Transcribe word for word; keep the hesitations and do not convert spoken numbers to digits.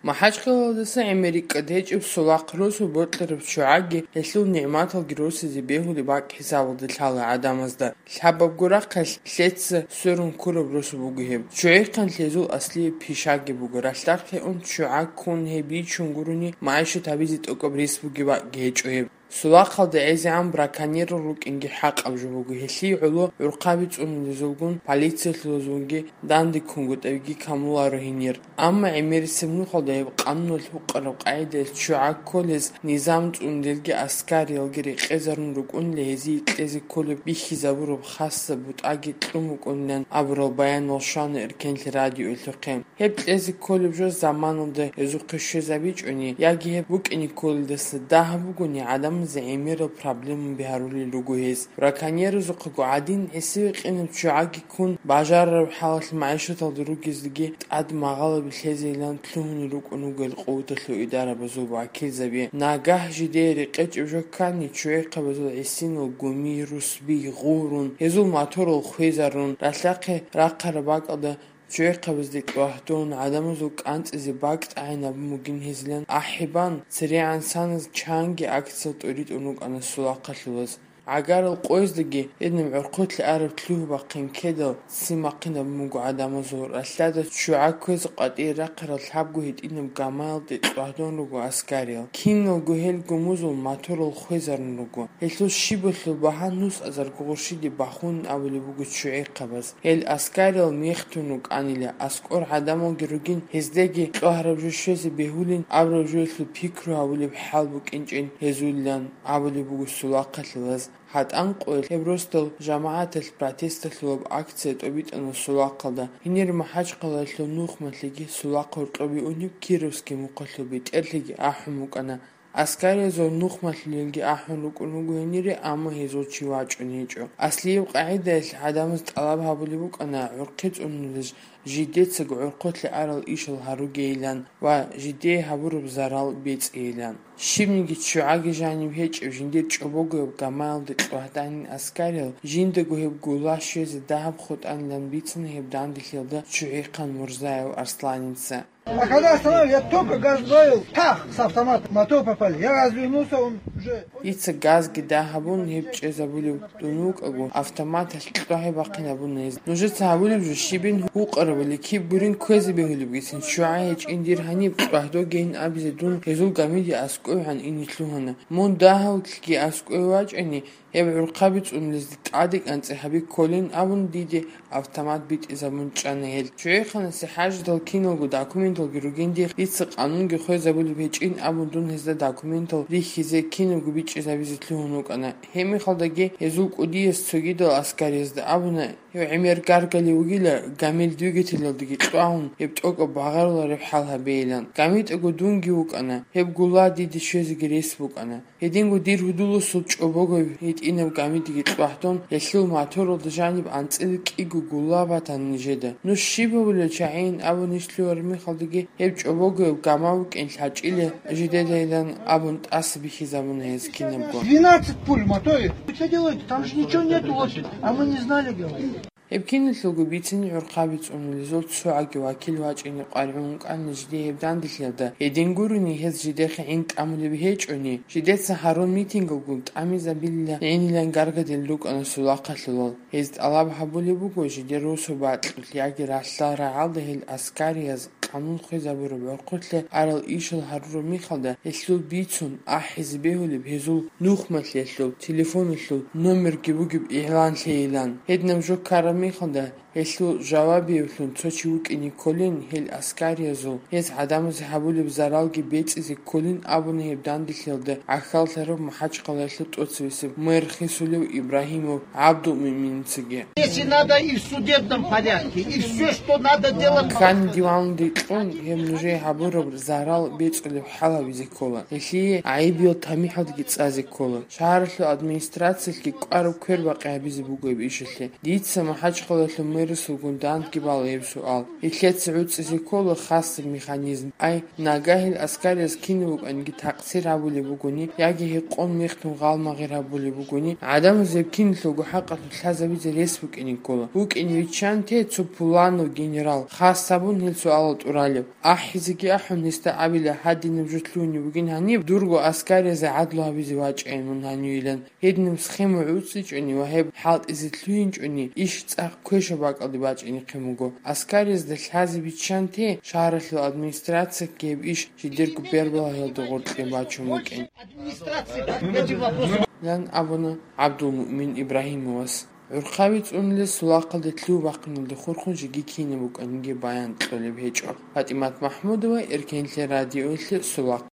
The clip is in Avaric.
МахӀачхъалаялдаса ГӀемерикӀкӀад гьечӀеб Сулахъ росу бокьараб ччугӀаги гьелъул нигӀматалги росизе бегьулеб бакӀ хӀисабалде лъала гӀадамазда. Лъабабго рахъалъ лъеца сверун ккураб росу буго гьеб. ЧчугӀихъан лъезул аслияб пишаги буго. Ралъдахъе ун ччугӀа ккун гьеб бичун гурони, магӀишат гьабизе тӀокӀаб рес бугеб бакӀги гьечӀо гьеб. Сулахъалда гӀезегӀан браконьерал рукӀинги хӀакъаб жо буго. Гьелъие гӀоло гӀурхъаби цӀунулезулгун, полициялъулазулги данде ккунгутӀабиги камуларо гьенир. Амма гӀемерисеб нухалда гьеб къануналъ гьукъараб къагӀидаялъ ччугӀа кколез низам цӀунулелги аскариялги рекъезарун рукӀунила гьезие кьезе кколеб бихьизабураб хасаб бутӀаги кьун букӀунилан абурал баянал щвана эркенлъи радиоялъухъе. Гьеб кьезе кколеб жо заманалда гьезухъе щвезабичӀони яги гьеб букӀине кколелдаса дагьаб бугони, гӀадамазе гӀемерал проблемаби гьарулел руго гьез. Браконьерзухъего гӀадин, гӀисиве къинаб ччугӀаги ккун, бажарараб хӀалалъ магӀишаталда ругезеги тӀад магъалаби лъезейилан лъугьунел рукӀун ругел къуваталъул идарабазул вакилзаби. Нагагь жидее рекъечӀеб жо ккани, ччугӀихъабазул гӀисинал гуми, русби гъурун, гьезул моторал хвезарун, ралъдахъе рахъараб бакӀалда ччугӀихъабазде кьвагьдун, гӀадамазул кӀанцӀизе бакӀ тӀагӀинабун бугин гьезилан ахӀи бан, церегӀан саназ чанги акциял тӀоритӀун рукӀана сулахъалъулаз. ГӀагарал къояздаги гьединаб гӀурхъулъе араб лъугьа-бахъин ккедал ццин бахъинабун буго гӀадамазул. Ралъдада ччугӀа кквезе къватӀире рахъарал лъабго гьитӀинаб гамаялде кьвагьдун руго аскариял. Киналго гьел гумузул моторал хвезарун руго. Гьелъул щибалъул багьа нусазарго гъурщиде бахунин абулеб буго ччугӀихъабаз. Гьел аскариял мехтун рукӀанила, аскӀор гӀадамалги ругин, гьездаги кьвагьараб жо щвезе бегьулин абураб жоялъул пикру гьабулеб хӀал букӀинчӀин гьезулилан абулеб буго сулахъалъулаз. ГьатӀан къоялъ гьеб росдал жамагӀаталъ протесталъулаб акция тӀобитӀана сулахъалда. Гьенир МахӀачхъалаялъул нухмалъиги сулахъ гьоркьобе унеб Кировский мухъалъул бетӀерлъиги ахӀун букӀана. Аскариязул нухмалъулелги ахӀун рукӀун руго гьенире, амма гьезул чи вачӀун гьечӀо. Аслияб къагӀидаялъ гӀадамаз тӀалаб гьабулеб букӀана гӀурхъи цӀунулез жидецаго гӀурхъулъе арал ишал гьаругейилан ва жидее гьабураб зарал бецӀейилан. Щибниги ччугӀаги жаниб гьечӀеб жиндир чӀобогояб гамаялде кьвагьданин аскариял жиндаго гьеб гула щвезе дагьаб хутӀанилан бицана гьеб данделъиялда ччугӀихъан Мурзаев Арсланица. А когда остановили, я только газ добавил, пах, с автомата, мотор попали. Я развернулся, он уже... Дица газги дагьабун гьеб чӀезабулев дун вукӀаго, автоматалъ кьвагьи бахъинабуна гьез. Нужеца гьабулеб жо щибин гьукъарабали киб гурин кквезе бегьулебгицин, ччугӀа гьечӀин дир гьаниб кьвагьдогейин абизе дун гьезул гамиде аскӀовегӀан ине лъугьана. Мун дагьавлъиги аскӀове вачӀани, гьеб гӀурхъаби цӀунулезде тӀаде кӀанцӀи гьаби кколин абун диде автомат битӀизабун чӀана гьел. ЧчугӀихъанасе хӀажидал киналго документалги ругин дихъ, дица къанунги хвезабулеб гьечӀин абун дун гьезда документал рихьизе кинабго бичӀчӀизабизе лъугьун вукӀана. Гьеб мехалдаги гьезул кӀудияс цогидал аскариязда абуна, гьев гӀемер гаргалев вугила, гамил двигателалдаги кьвагьун, гьеб тӀокӀаб багъарулареб хӀал гьабейилан. ГамитӀаго дунги вукӀана, гьеб гула диде щвезеги рес букӀана. Гьединго дир гьудуласул чӀобогояб гьитӀинаб гамидеги кьвагьдун, гьелъул моторалда жаниб анцӀила кӀиго гула батана нижеда. Нуж щиб гьабулел чагӀийин абун иш лъугьараб мехалдаги, гьеб чӀобогояб гама букӀин лъачӀила жидедайилан абун тӀаса бихьизабуна гьез кинабго. Двенадцать пуль в моторе. Вы что делаете? Там же ничего нету, вот, а мы не знали, говорит. Гьеб киналъулго бицин гӀурхъаби цӀунулезул цогӀаги вакил вачӀине къваригӀун вукӀана жиде гьеб данделъиялда. Гьедин гурони, гьез жидехъе гӀин тӀамулеб гьечӀони, жидеца гьарун митингалгун тӀамизабилилан гӀинилан гаргадил рукӀана сулахъалъулал. Гьез тӀалаб гьабулеб буго жидер росу бакьулъ яги ралъдал рагӀалда гьел аскарияз къанун хвезабураб гӀурхъулъе арал ишал гьарураб мехалда, гьелъул бицун ахӀизе бегьулеб гьезул нухмалъиялъул телефоналъул номерги бугеб игълан лъейилан. Гьединаб жо ккараб мехалда, гьелъул жавабиявлъун цо чи вукӀине кколин, гьел аскариязул гьез гӀадамазе гьабулеб заралги бецӀизе кколин абуна гьеб данделъиялда гӀахьаллъараб МахӀачхъалаялъул тӀоцевесев мэр хисулев Ибрагьимов ГӀабдулмуъминицаги. Если надо, и в судебном порядке, и всё, что надо делать. Кан диванде кьун, гьеб нужее гьабураб зарал бецӀулеб хӀал гьабизе ккола. Гьелъие гӀайибиял тамихӀалдаги цӀазе ккола. Шагьаралъул администрациялъги кӀвараб квербакъи гьабизе буго гьеб ишалъе. Дица МахӀачхъалаялъул мэр Русулгун дандги бала гьеб суал. Илъеца гӀуцӀизе ккола хасаб механизм. Ай, нагагьил аскариз кинаб букӀаниги такъсир гьабулеб бугони яги гьекъон мехтун гъалмагъир гьабулеб бугони, гӀадамаз гьеб киналъулго хӀакъалъулъ лъазабизе рес букӀине ккола. БукӀине виччан те цо пуланав генерал, хас гьабун гьел суалал тӀуралеб. АхӀизеги ахӀун гьесда абила, гьадинаб жо лъугьунеб бугин гьаниб, дурго аскаризе гӀадлу гьабизе вачӀайин мун гьанивилан. Гьединаб схема гӀуцӀичӀони ва гьеб хӀалтӀизе лъугьинчӀони, иш цӀакъ квешаб бакӀалде бачӀинехъин буго. Аскаризда лъазе биччанте, шагьаралъул администрациялъги гьеб иш жидерго бербалагьиялда гъоркье бачун букӀин. Ян абуна ГӀабдулмуъмин Ибрагьимовас. ГӀурхъаби цӀунулес сулахъалде лъугь бахъиналде хурхун жеги кинаб букӀаниги баян кьолеб гьечӀо. ПатӀимат МахӀмудова, Эркенлъи радиоялъе, Сулахъ.